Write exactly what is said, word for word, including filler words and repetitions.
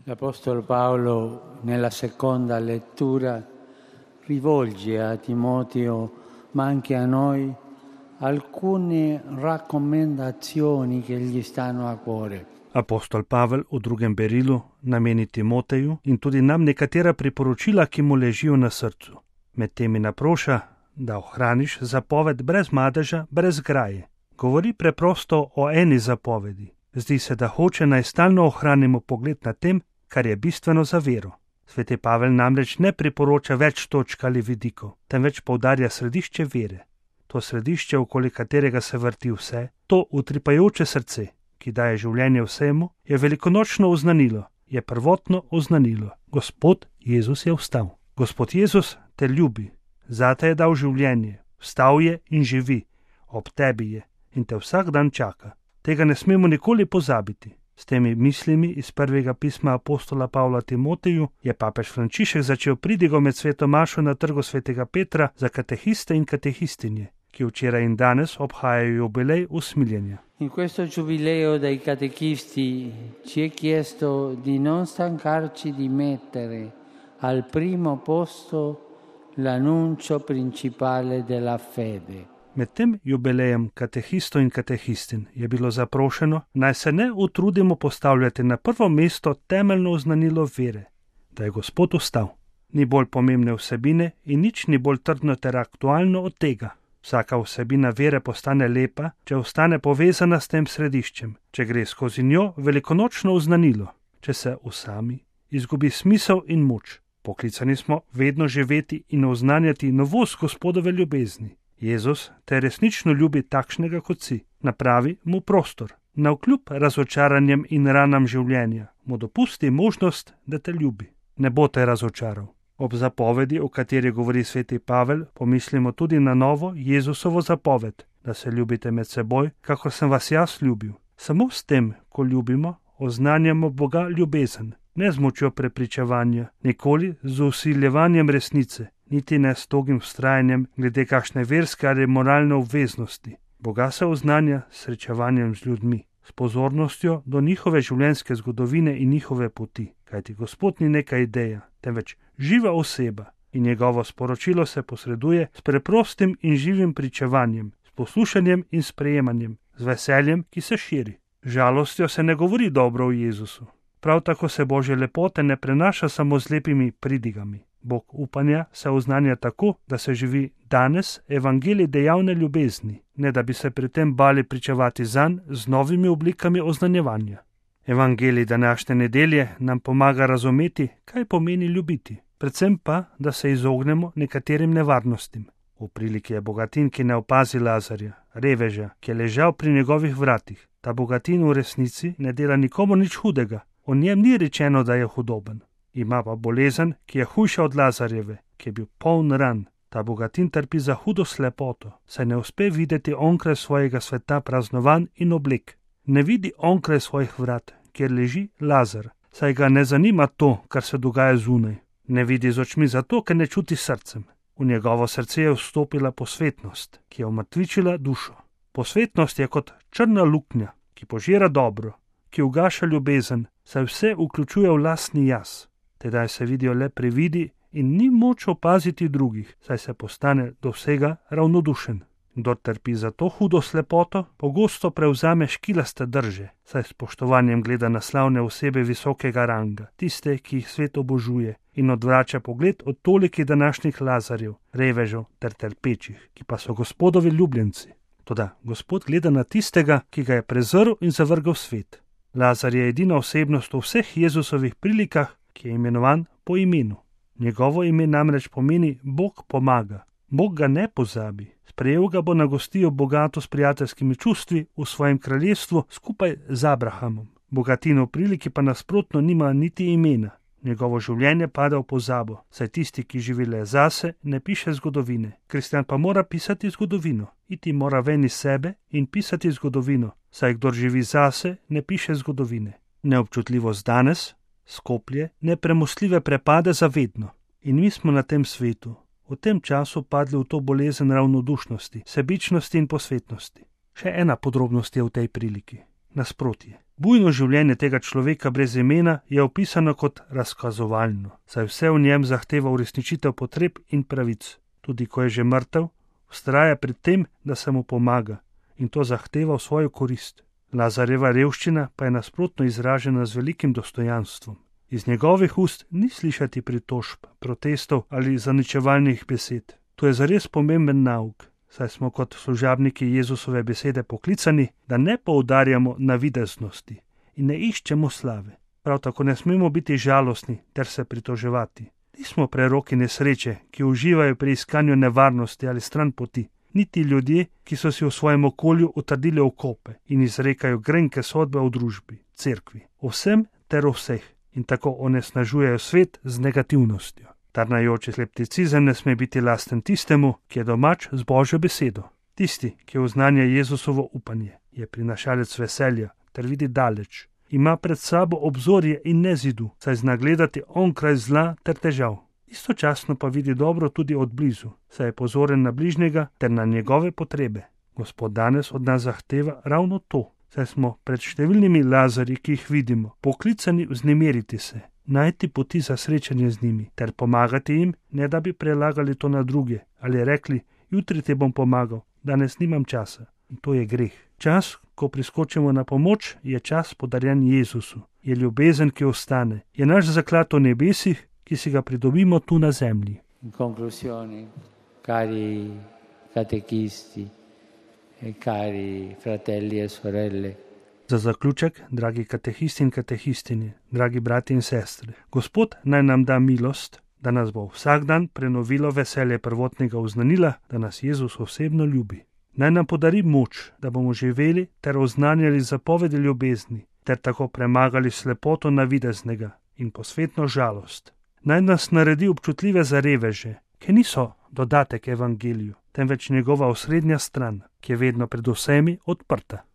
L'Apostolo Paolo nella seconda lettura rivolge a Timoteo, ma anche a noi, alcune raccomandazioni che gli stanno a cuore. Apostol Pavel v drugem berilu nameni Timoteju in tudi nam nekatera priporočila, ki mu ležijo na srcu. Med temi naproša, da ohraniš zapoved brez madeža, brez graje. Govori preprosto o eni zapovedi. Zdi se, da hoče naj stalno ohranimo pogled na tem, kar je bistveno za vero. Sveti Pavel namreč ne priporoča več točk ali vidikov, temveč poudarja središče vere. To središče, okoli katerega se vrti vse, to utripajoče srce, ki daje življenje vsemu, je velikonočno oznanilo, je prvotno oznanilo. Gospod Jezus je vstal. Gospod Jezus te ljubi, zate je dal življenje, vstal je in živi, ob tebi je in te vsak dan čaka. Tega ne smemo nikoli pozabiti. S temi mislimi iz prvega pisma apostola Pavla Timoteju je papež Frančišek začel pridigo med sveto mašo na trgu svetega Petra za katehiste in katehistinje, ki včeraj in danes obhajajo jubilej usmiljenja. In questo giubileo dei catechisti ci è chiesto di non stancarci di mettere al primo posto l'annuncio principale della fede. Med tem jubilejem katehistov in katehistin je bilo zaprošeno, naj se ne utrudimo postavljati na prvo mesto temeljno oznanilo vere, da je Gospod vstal. Ni bolj pomembne vsebine in nič ni bolj trdno ter aktualno od tega. Vsaka vsebina vere postane lepa, če ostane povezana s tem središčem, če gre skozi njo velikonočno oznanilo, če se usami, izgubi smisel in moč. Poklicani smo vedno živeti in oznanjati novost Gospodove ljubezni. Jezus te resnično ljubi takšnega kot si, napravi mu prostor. Navkljub razočaranjem in ranam življenja mu dopusti možnost, da te ljubi. Ne bo te razočaral. Ob zapovedi, o kateri govori sveti Pavel, pomislimo tudi na novo Jezusovo zapoved, da se ljubite med seboj, kakor sem vas jaz ljubil. Samo s tem, ko ljubimo, oznanjamo Boga ljubezen, ne z močjo prepričevanja, nikoli z vsiljevanjem resnice, niti ne s togim vztrajanjem glede kakšne verske ali moralne obveznosti. Boga se oznanja s srečevanjem z ljudmi, s pozornostjo do njihove življenjske zgodovine in njihove poti, kajti Gospod ni neka ideja, temveč živa oseba in njegovo sporočilo se posreduje s preprostim in živim pričevanjem, s poslušanjem in sprejemanjem, z veseljem, ki se širi. Žalostjo se ne govori dobro o Jezusu. Prav tako se Božje lepote ne prenaša samo z lepimi pridigami. Bog upanja se oznanja tako, da se živi danes evangelij dejavne ljubezni, ne da bi se pri tem bali pričevati zanj z novimi oblikami oznanjevanja. Evangelij današnje nedelje nam pomaga razumeti, kaj pomeni ljubiti, predvsem pa, da se izognemo nekaterim nevarnostim. V priliki je bogatin, ki ne opazi Lazarja, reveža, ki je ležal pri njegovih vratih. Ta bogatin v resnici ne dela nikomu nič hudega, o njem ni rečeno, da je hudoben. Ima pa bolezen, ki je hujša od Lazarjeve, ki je bil poln ran. Ta bogatin trpi za hudo slepoto, saj ne uspe videti onkraj svojega sveta praznovan in oblek. Ne vidi onkraj svojih vrat, kjer leži Lazar, saj ga ne zanima to, kar se dogaja zunaj. Ne vidi z očmi zato, ker ne čuti srcem. V njegovo srce je vstopila posvetnost, ki je umrtvičila dušo. Posvetnost je kot črna luknja, ki požira dobro, ki ugaša ljubezen, saj vse vključuje v lastni jaz. Tedaj se vidijo le prividi in ni moč opaziti drugih, saj se postane do vsega ravnodušen. Kdor trpi za to hudo slepoto, pogosto prevzame škilaste drže, saj s spoštovanjem gleda na slavne osebe visokega ranga, tiste, ki jih svet obožuje, in odvrača pogled od tolikih današnjih Lazarjev, revežev ter trpečih, ki pa so Gospodovi ljubljenci. Toda Gospod gleda na tistega, ki ga je prezrl in zavrgel svet. Lazar je edina osebnost v vseh Jezusovih prilikah, ki je imenovan po imenu. Njegovo ime namreč pomeni Bog pomaga. Bog ga ne pozabi. Sprejel ga bo na gostijo bogato s prijateljskimi čustvi v svojem kraljestvu skupaj z Abrahamom. Bogatin v priliki pa nasprotno nima niti imena. Njegovo življenje pada v pozabo, saj tisti, ki živi le zase, ne piše zgodovine. Kristjan pa mora pisati zgodovino. Iti mora ven iz sebe in pisati zgodovino, saj kdor živi zase, ne piše zgodovine. Neobčutljivost danes, skoplje, nepremostljive prepade zavedno. In mi smo na tem svetu, v tem času padli v to bolezen ravnodušnosti, sebičnosti in posvetnosti. Še ena podrobnost je v tej priliki. Nasprotje. Bujno življenje tega človeka brez imena je opisano kot razkazovalno, saj vse v njem zahteva uresničitev potreb in pravic. Tudi ko je že mrtev, vztraja pri tem, da se mu pomaga in to zahteva v svojo korist. Lazarjeva revščina pa je nasprotno izražena z velikim dostojanstvom. Iz njegovih ust ni slišati pritožb, protestov ali zaničevalnih besed. To je zares pomemben nauk, saj smo kot služabniki Jezusove besede poklicani, da ne poudarjamo navideznosti in ne iščemo slave. Prav tako ne smemo biti žalostni ter se pritoževati. Nismo preroki nesreče, ki uživajo pri iskanju nevarnosti ali stran poti, niti ljudje, ki so si v svojem okolju utrdili okope in izrekajo grenke sodbe v družbi, cerkvi, o vsem ter o vseh in tako onesnažujejo svet z negativnostjo. Tarnajoči skepticizem ne sme biti lasten tistemu, ki je domač z Božjo besedo. Tisti, ki oznanja Jezusovo upanje, je prinašalec veselja ter vidi daleč. Ima pred sabo obzorje in ne zidu, saj zna gledati onkraj zla ter težav. Istočasno pa vidi dobro tudi od blizu, saj je pozoren na bližnjega ter na njegove potrebe. Gospod danes od nas zahteva ravno to, saj smo pred številnimi Lazarji, ki jih vidimo, poklicani vznemiriti se, najti poti za srečanje z njimi ter pomagati jim, ne da bi prelagali to na druge ali rekli, jutri te bom pomagal, danes nimam časa. In to je greh. Čas, ko priskočimo na pomoč, je čas podarjen Jezusu, je ljubezen, ki ostane, je naš zaklad v nebesih, ki si ga pridobimo tu na zemlji. In konklusioni, cari katekisti e cari fratelli e sorelle. Za zaključek, dragi katehisti in katehistinje, dragi brati in sestre, Gospod naj nam da milost, da nas bo vsak dan prenovilo veselje prvotnega oznanila, da nas Jezus osebno ljubi. Naj nam podari moč, da bomo živeli ter oznanjali zapovedi ljubezni, ter tako premagali slepoto navideznega in posvetno žalost. Naj nas naredi občutljive za reveže, ki niso dodatek evangeliju, temveč njegova osrednja stran, ki je vedno pred vsemi odprta.